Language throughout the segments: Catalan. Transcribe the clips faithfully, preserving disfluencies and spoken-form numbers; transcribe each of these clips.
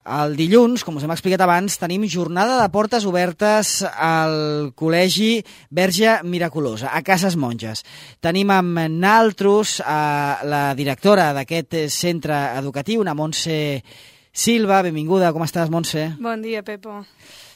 El dilluns, com us hem explicat abans, tenim jornada de portes obertes al Col·legi Verge Miraculosa, a Cases Monges. Tenim amb naltros a la directora d'aquest centre educatiu, una Montse Silva. Benvinguda, com estàs, Montse? Bon dia, Pepo.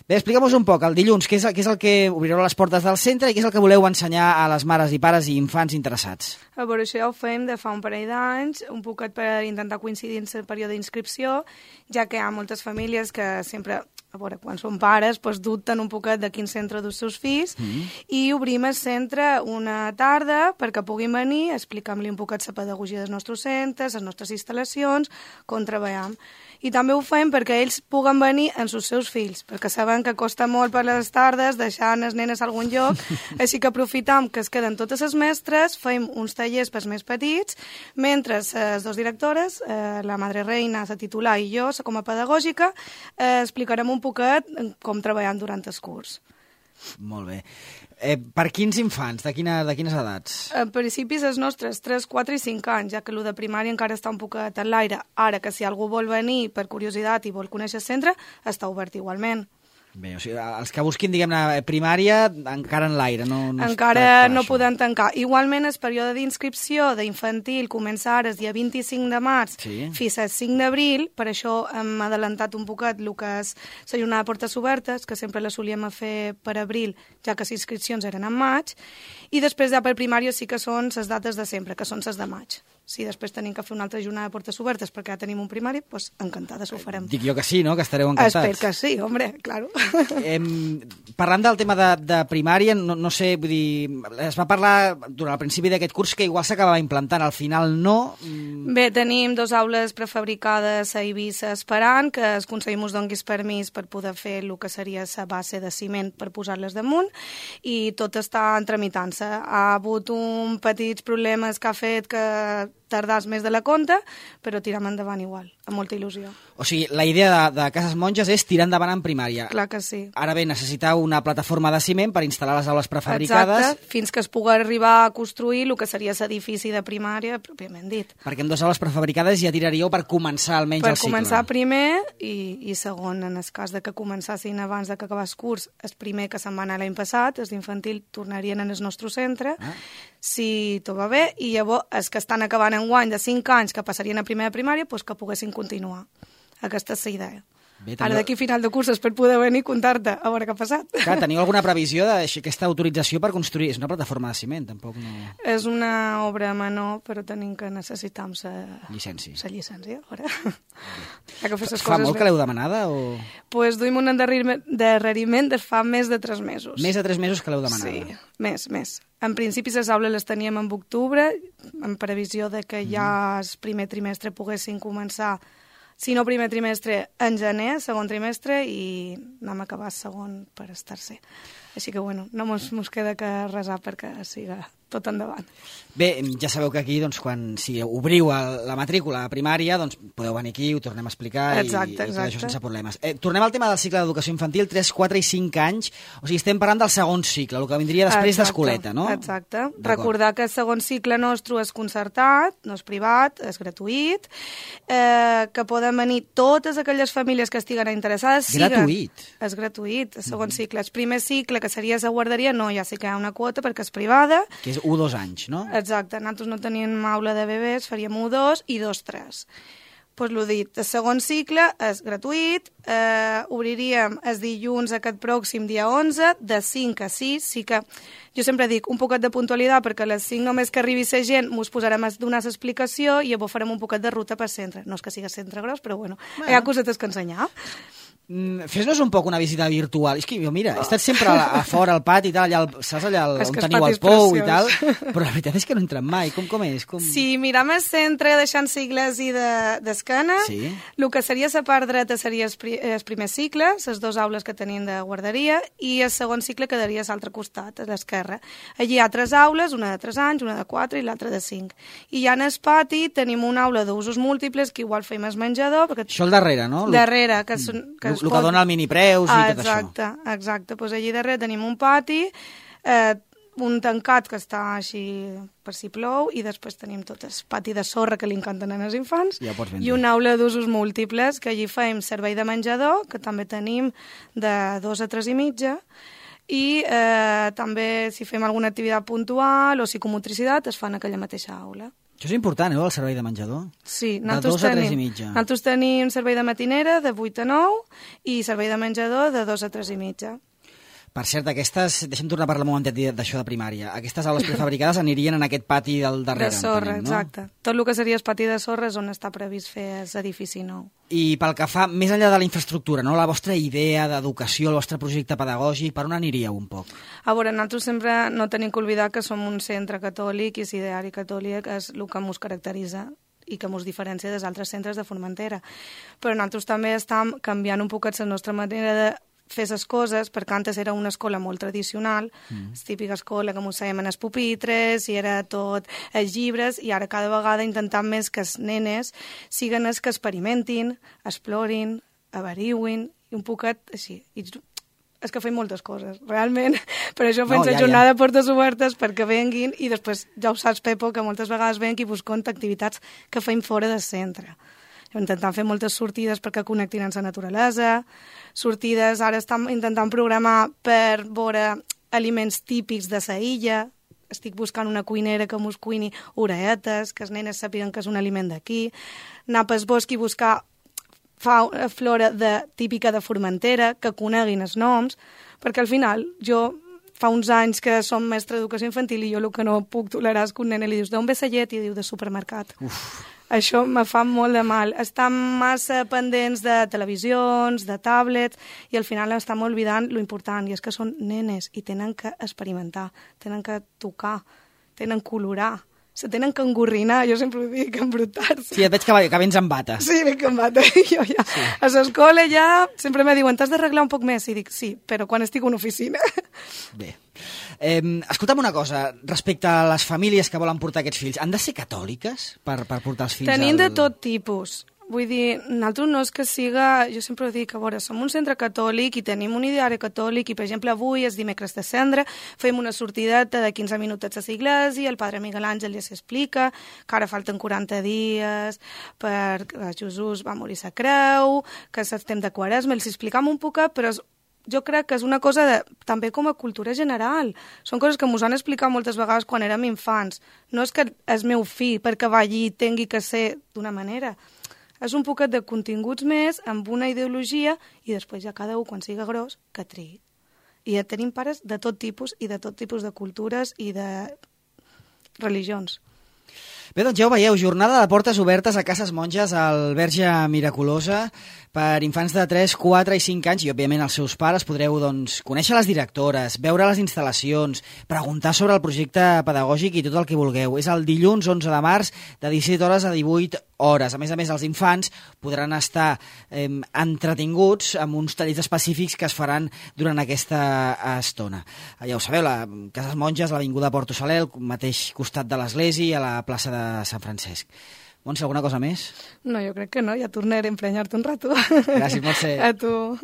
Bé, explica'm un poc, el dilluns, què és, què és el que obrireu les portes del centre i què és el que voleu ensenyar a les mares i pares i infants interessats? A veure, això ja ho fem de fa un parell d'anys, un poquet per intentar coincidir en el període d'inscripció, ja que hi ha moltes famílies que sempre, a veure, quan són pares, doncs dubten un poquet de quin centre dels seus fills, mm. i obrim el centre una tarda perquè puguin venir, explicar-li un poquet la pedagogia dels nostres centres, les nostres instal·lacions, com treballem. I també ho fem perquè ells puguen venir amb els seus fills, perquè saben que costa molt per les tardes deixar les nenes a algun lloc, així que aprofitam que es queden totes les mestres, fem uns tallers pels més petits, mentre les dues directores, eh, la Madre Reina, la titular, i jo, com a pedagògica, eh, explicarem un poquet com treballem durant el curs. Molt bé. Eh, per quins infants? De, quina, de quines edats? En principi, els nostres tres, quatre i cinc anys, ja que el de primària encara està un poquet en l'aire. Ara que si algú vol venir per curiositat i vol conèixer el centre, està obert igualment. Bé, o sigui, els que busquin, diguem-ne, primària, encara en l'aire, no, no encara no poden tancar. Igualment, el període d'inscripció d'infantil comença ara el dia vint-i-cinc de març sí. fins al cinc d'abril, per això hem adelantat un poquet el que és la jornada de portes obertes, que sempre la solíem fer per abril, ja que les inscripcions eren en maig, i després ja per primària sí que són les dates de sempre, que són les de maig. Si després tenim que fer una altra jornada de portes obertes perquè ja tenim un primari, doncs encantades ho farem. Dic jo que sí, no? Que estareu encantats. Espero que sí, hombre, claro. Eh, parlant del tema de, de primària, no, no sé, vull dir, es va parlar durant el principi d'aquest curs que igual s'acabava implantant, al final no. Bé, tenim dos aules prefabricades a Eivissa esperant que el Consell mos donguis permís per poder fer el que seria la base de ciment per posar-les damunt i tot està tramitant-se. Ha hagut un petits problemes que ha fet que tardàs més de la compta, però tirem endavant igual, amb molta il·lusió. O sigui, la idea de, de Cases Monges és tirar endavant en primària. Clar que sí. Ara bé, necessitau una plataforma de ciment per instal·lar les aules prefabricades. Exacte, fins que es pugui arribar a construir el que seria l'edifici de primària, pròpiament dit. Perquè amb dues aules prefabricades ja tiraríeu per començar almenys per el cicle. Per començar primer i, i segon, en el cas de que començassin abans de que acabés el curs, el primer que se'n va anar l'any passat, els d'infantil tornarien en el nostre centre, ah. si tot va bé, i llavors els que estan acabant en guany de cinc anys que passarien a primera primària, doncs que poguessin continuar. Aquesta és la idea. Bé, teniu... Ara d'aquí final de curses per poder venir i contar-te a veure què ha passat. Clar, teniu alguna previsió d'aquesta autorització per construir? És una plataforma de ciment, tampoc no... És una obra menor, però tenim que necessitar la llicència. La llicència, ara. Ja que fes les fa coses molt bé. Que l'heu demanada? O... Pues duim un endarreriment de fa més de tres mesos. Més de tres mesos que l'heu demanada? Sí, més, més. En principi, les aules les teníem en octubre, en previsió de que ja el primer trimestre poguessin començar, si no primer trimestre, en gener, segon trimestre, i anem a acabar el segon per el tercer. Així que, bueno, no mos, mos queda que resar perquè siga tot endavant. Bé, ja sabeu que aquí, doncs, quan si obriu el, la matrícula a primària, doncs podeu venir aquí, ho tornem a explicar exacte, i, i tot exacte. això sense problemes. Eh, tornem al tema del cicle d'educació infantil, tres, quatre i cinc anys, o sigui, estem parlant del segon cicle, el que vindria després d'escoleta, no? Exacte. Recordar que el segon cicle nostre és concertat, no és privat, és gratuït, eh, que poden venir totes aquelles famílies que estiguen interessades. Gratuït? Siguen. És gratuït, el segon mm. cicle. El primer cicle, que seria la guarderia, no, ja sí que hi ha una quota perquè és privada. Que és u dos anys, no? Exacte, nosaltres no teníem aula de bebès, faríem u dos i dos tres. Doncs pues l'ho dit, el segon cicle és gratuït, eh, obriríem el dilluns aquest pròxim dia onze, de cinc a sis, sí que jo sempre dic un poquet de puntualitat perquè a les cinc només que arribi la gent mos posarem a donar l'explicació i llavors farem un poquet de ruta per centre. No és que sigui centre gros, però bueno, bueno. Hi ha cosetes que ensenyar. Mm, fes-nos un poc una visita virtual. És que jo, mira, he estat sempre a, a fora al pati i tal, allà, al, saps allà el, on teniu el pou preciós. I tal, però la veritat és que no entren mai. Com, com és? Com... Si mirem el centre deixant sigles i d'esquena, de, sí. el que seria la part dreta seria el, pri, el primer cicle, les dues aules que tenim de guarderia, i el segon cicle quedaria a l'altre costat, a l'esquerra. Allí hi ha tres aules, una de tres anys, una de quatre i l'altra de cinc. I ja en el pati tenim una aula d'usos múltiples, que igual fem el menjador. Perquè... Això al darrere, no? Darrere, que, són, que el que dona el minipreus i ah, tot exacte, això. Exacte, doncs allí darrere tenim un pati, eh, un tancat que està així per si plou, i després tenim tot el pati de sorra que li encanten als infants, ja i una aula d'usos múltiples, que allí fem servei de menjador, que també tenim de dos a tres i mitja, i eh, també si fem alguna activitat puntual o psicomotricitat es fa en aquella mateixa aula. Això és important, eh, el servei de menjador? Sí, de dos a tres i mitja. Nosaltres tenim servei de matinera de vuit a nou i servei de menjador de dos a tres i mitja. Per cert, aquestes, deixa'm tornar a parlar un momentet d'això de primària, aquestes aules prefabricades anirien en aquest pati del darrere, de sorra, entenem, no? Exacte. Tot el que seria el pati de sorra és on està previst fer l'edifici nou. I pel que fa, més enllà de la infraestructura, no? La vostra idea d'educació, el vostre projecte pedagògic, per on aniríeu un poc? A veure, nosaltres sempre no tenim que oblidar que som un centre catòlic i l'ideari catòlic és el que ens caracteritza i que ens diferencia dels altres centres de Formentera. Però nosaltres també estem canviant un poquet la nostra manera de fer les coses, perquè antes era una escola molt tradicional, mm. la típica escola que ens fèiem en els pupitres, i era tot els llibres, i ara cada vegada intentem més que els nenes siguen els que experimentin, explorin, avariuin, i un poquet així. I és que fem moltes coses, realment. Per això fem no, la ja, jornada ja. Portes obertes perquè venguin, i després ja ho saps, Pepo, que moltes vegades venc i busco activitats que fem fora del centre. Intentant fer moltes sortides perquè connectin amb la naturalesa, sortides, ara estem intentant programar per veure aliments típics de la illa, estic buscant una cuinera que mos cuini oreetes, que els nenes sàpiguen que és un aliment d'aquí, anar pel bosc i buscar fauna, flora de, típica de Formentera, que coneguin els noms, perquè al final jo fa uns anys que som mestre d'educació infantil i jo el que no puc tolerar és que un nen li dius d'on ve la llet i diu de supermercat. Uf. Això me fa molt de mal. Estem massa pendents de televisions, de tablets, i al final estem oblidant lo important, i és que són nenes i tenen que experimentar, tenen que tocar, tenen que colorar, se tenen que engorrinar, jo sempre ho dic, embrutar-se. Sí, et veig que, que vens amb bata. Sí, veig amb bata. Jo ja, sí. A l'escola ja sempre me diuen, t'has d'arreglar un poc més? I dic, sí, però quan estic a una oficina. Bé. Eh, escolta'm una cosa, respecte a les famílies que volen portar aquests fills, han de ser catòliques per, per portar els fills? Tenim al... de tot tipus. Vull dir, nosaltres no és que siga... Jo sempre dic, a veure, som un centre catòlic i tenim un ideari catòlic i, per exemple, avui, és dimecres de cendre, fem una sortideta de quinze minutets a l'església, el padre Miguel Àngel ja s'explica, que ara falten quaranta dies perquè Jesús va morir a la creu, que estem de quaresma, els explicam un poc, però és jo crec que és una cosa de, també com a cultura general. Són coses que ens han explicat moltes vegades quan érem infants. No és que el meu fill, perquè va allí, tingui que ser d'una manera. És un poquet de continguts més, amb una ideologia, i després ja cada un, quan siga gros, que triï. I ja tenim pares de tot tipus, i de tot tipus de cultures i de religions. Bé, doncs ja ho veieu, jornada de portes obertes a Cases Monges al Verge Miraculosa per infants de tres, quatre i cinc anys, i òbviament els seus pares. Podreu doncs, conèixer les directores, veure les instal·lacions, preguntar sobre el projecte pedagògic i tot el que vulgueu. És el dilluns onze de març de disset hores a divuit hores. A més a més, els infants podran estar eh, entretinguts amb uns tallers específics que es faran durant aquesta estona. Ja ho sabeu, la Cases Monges, l'Avinguda Porto Saler, al mateix costat de l'església, a la plaça de Sant Francesc. Montse, alguna cosa més? No, jo crec que no, ja tornaré a emprenyar-te un rato. Gràcies, Montse. A tu.